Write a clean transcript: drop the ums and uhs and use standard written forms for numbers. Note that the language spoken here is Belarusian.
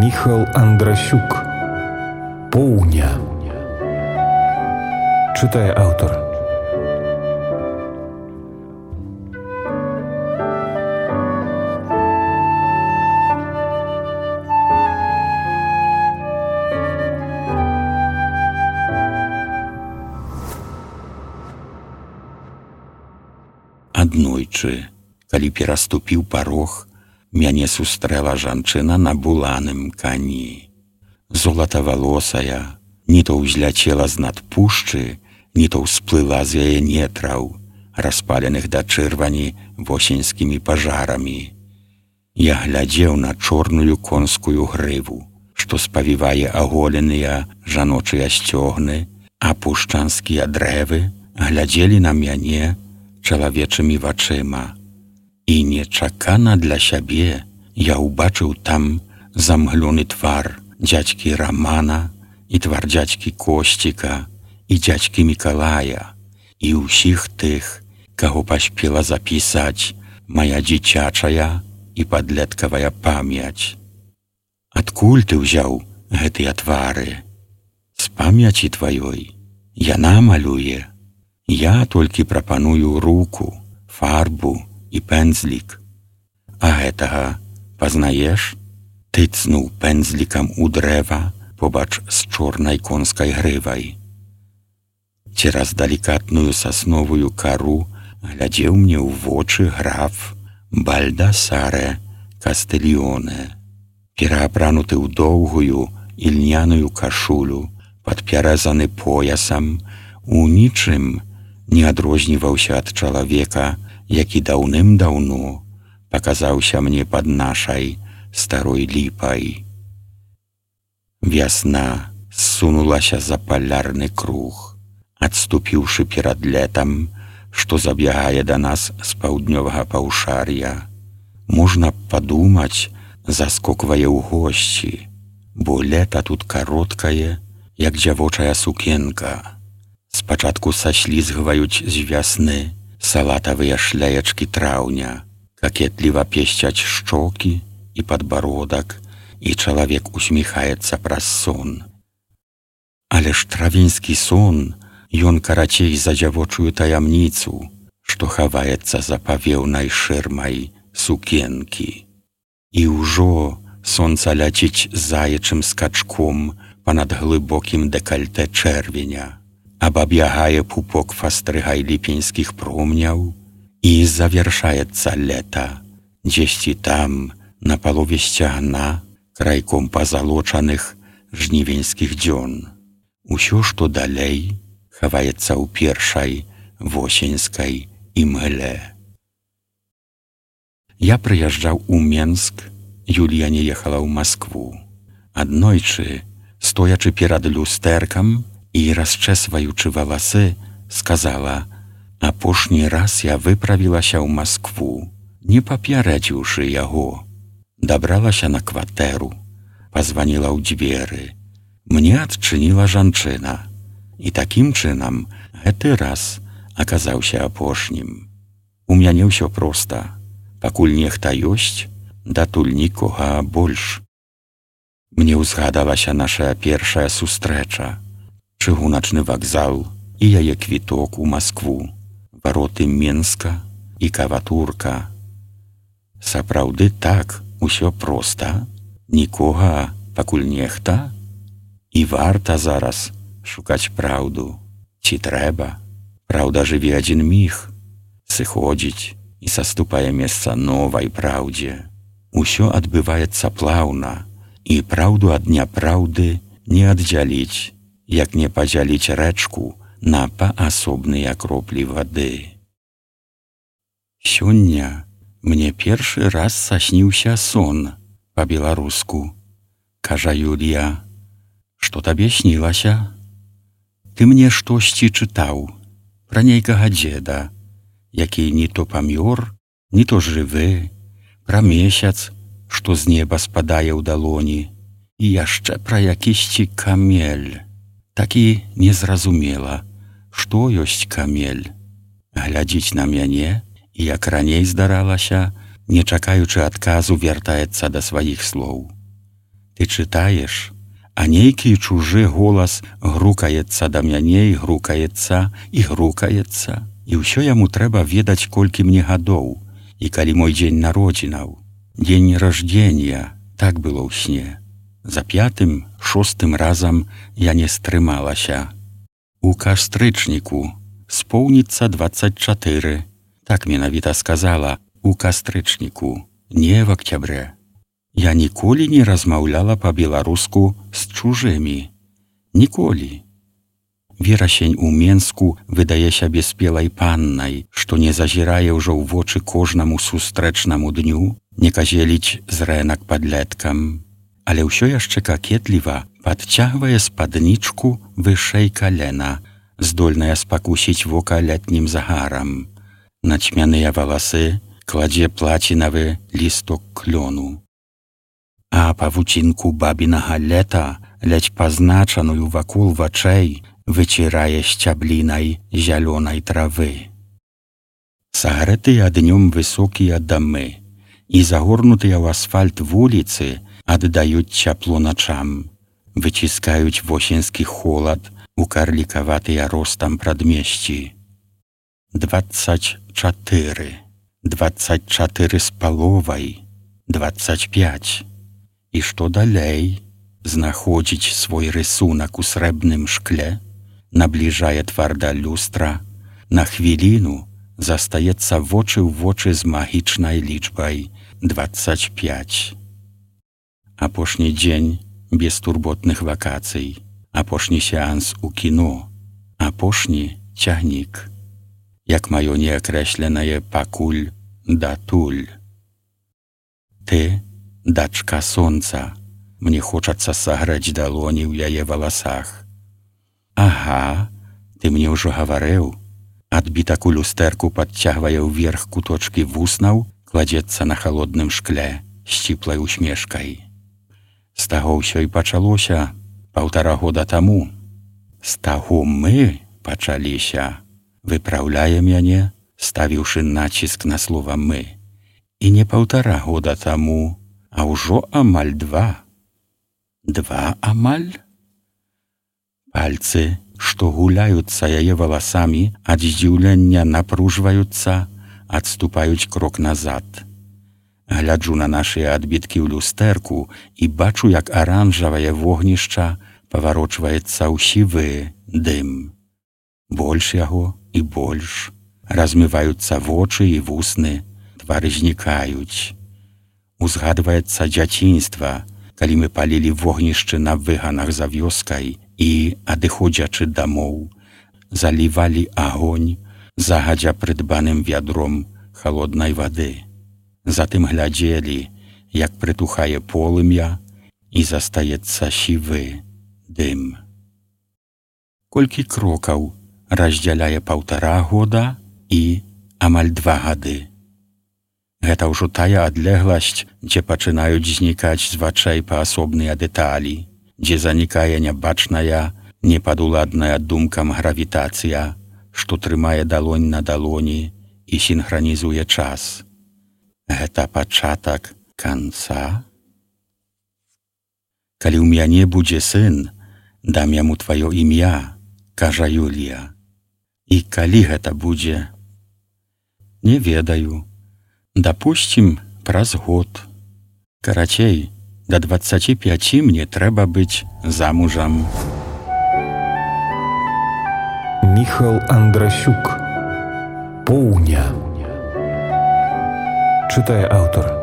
Міхал Андрасюк. Поўня. Чытае аўтар. Аднойчы, калі пераступіў парог, мяне сустрэла жанчына на буланым кані. Золатавалосая, ні то ўзляцела з-над пушчы, ні то ўсплыла з яе нетраў, распаленых да чырвані восеньскімі пажарамі. Я глядзеў на чорную конскую грыву, што спавівае аголеныя жаночыя сцёгны, а пушчанскія дрэвы глядзелі на мяне чалавечымі вачыма. І нечакана для сябе я ўбачыў там замглёны твар дзядзькі Рамана і твар дзядзькі Косціка і дзядзькі Мікалая і ўсіх тых, каго паспела запісаць мая дзіцячая і падлеткавая памяць. Адкуль ты ўзяў гэтыя твары? З памяці тваёй. Яна малюе. Я толькі прапаную руку, фарбу і пэндзлік. А гэтага пазнаеш? Тыцнуў пэндзлікам у дрэва побач з чорнай конскай грывай. Цераз далікатную сасновую кару глядзеў мне ў вочы граф Бальдасаре Кастыльёне, пераапрануты ў доўгую ільняную кашулю, падпяразаны поясам, у нічым не адрозніваўся ад чалавека, які даўным-даўно паказаўся мне пад нашай старой ліпай. Вясна ссунулася за палярны круг, адступіўшы перад летам, што забягае да нас з паўднёвага паўшар'я. Можна падумаць, заскоквае ў госці, бо лета тут кароткае, як дзявочая сукенка. Спачатку саслізгваюць з вясны салатавыя шляечкі траўня, какетліва песцяць шчокі і падбародак, і чалавек усміхаецца праз сон. Але ж травеньскі сон, ён карацей за дзявочую таямніцу, што хаваецца за павеўнай шырмай сукенкі. І ўжо сонца ляціць заячым скачком панад глыбокім дэкальтэ чэрвеня, абабягае пупок фастрыгай ліпеньскіх промняў, і завяршаецца лета, дзесьці там, на палове сцягна, крайком пазалочаных жнівеньскіх дзён. Усё, што далей, хаваецца ў першай восеньскай імгле. Я прыязджаў у Менск, Юлія не ехала ў Маскву. Аднойчы, стоячы перад люстэркам і расчэсваючы валасы, сказала: апошні раз я выправілася ў Маскву, не папярэдзіўшы яго. Дабралася на кватэру, пазваніла ў дзверы. Мне адчыніла жанчына. І такім чынам гэты раз аказаўся апошнім. У мяне ўсё проста. Пакуль нехта ёсць, датуль нікога больш. Мне ўзгадалася наша першая сустрэча, чыгуначны вакзал і яе квіток у Маскву, вароты Менска і каватурка. Сапраўды так, усё проста, нікога, пакуль нехта. І варта зараз шукаць праўду. Ці трэба? Праўда жыве адзін міг, сыходзіць і саступае месца новай праўдзе. Усё адбываецца плаўна, і праўду ад няпраўды не аддзяліць, як не падзяліць рэчку на паасобныя кроплі вады. Сёння мне першы раз сасніўся сон па-беларуску. Кажа Юлія: што табе снілася? Ты мне штосьці чытаў пра нейкага дзеда, які ні то памёр, ні то жывы, пра месяц, што з неба спадае ў далоні, і яшчэ пра якісьці камель. Такі незразумела, што ёсць камель. Глядзіць на мяне, і як раней здаралася, не чакаючы адказу, вяртаецца да сваіх слоў. Ты чытаеш, а нейкі чужы голас грукаецца да мяне і грукаецца, і ўсё яму трэба ведаць, колькі мне гадоў, і калі мой дзень народзінаў, дзень раждзення, так было ў сне. За 5-м, 6-м разам я не стрымалася. У кастрычніку споўніцца 24. Так менавіта сказала, у кастрычніку, не в октябрэ. Я ніколі не размаўляла па-беларуску з чужымі. Ніколі. Верасень у Менску выдае сябе спелай паннай, што не зазірае ўжо ў вочы кожнаму сустрэчнаму дню, не казеліць з рэнак падлеткам, але ўсё яшчэ какетліва падцягвае спаднічку вышэй калена, здольная спакусіць вока летнім загарам. На цьмяныя валасы кладзе плацінавы лісток клёну. А павуцінку бабінага лета, ледзь пазначаную вакол вачэй, выцірае сцяблінай зялёнай травы. Сагрэтыя днём высокія дамы і загорнутыя ў асфальт вуліцы аддаюць цяпло начам, выціскаюць восеньскі холад у карлікаватыя ростам прадмесці. 24, 24 з паловай, 25. І што далей? Знаходзіць свой рысунак у срэбным шкле, набліжае твар да люстра, на хвіліну застаецца вочы ў вочы з магічнай лічбай 25. Апошні дзень бестурботных вакацый, апошні сеанс у кіно, апошні цягнік, як маё неакрэсленае пакуль датуль. Ты, дачка сонца, мне хочацца сагрэць далоні ў яе валасах. Ага, ты мне ўжо гаварыў. Адбітак у люстэрку падцягвае ўверх куточкі вуснаў, кладзецца на халодным шкле сціплай усмешкай. З таго ўсё і пачалося 1,5 года таму. З таго мы пачаліся, выпраўляе мяне, ставіўшы націск на слова «мы». І не 1,5 года таму, а ўжо амаль 2. 2 амаль? Пальцы, што гуляюцца яе валасамі, ад здзіўлення напружваюцца, адступаюць крок назад. Гляджу на нашыя адбіткі ў люстэрку і бачу, як аранжавае вогнішча паварочваецца ў сівы дым. Больш яго і больш. Размываюцца вочы і вусны, твары знікаюць. Узгадваецца дзяцінства, калі мы палілі вогнішчы на выганах за вёскай і, адыходзячы дамоў, залівалі агонь загадзя прыдбаным вядром халоднай вады. Затым глядзелі, як прытухае полымя і застаецца сівы дым. Колькі крокаў раздзяляе 1,5 года і амаль 2 гады. Гэта ўжо тая адлегласць, дзе пачынаюць знікаць з вачэй паасобныя дэталі, дзе занікае нябачная, непадуладная думкам гравітацыя, што трымае далонь на далоні і сінхранізуе час. Гэта пачатак канца? Калі ў мяне будзе сын, дам яму тваё імя, кажа Юлія. І калі гэта будзе? Не ведаю. Дапусцім, праз год. Карацей, да 25 мне трэба быць замужам. Міхал Андрасюк. Поўня. Чытае аўтар.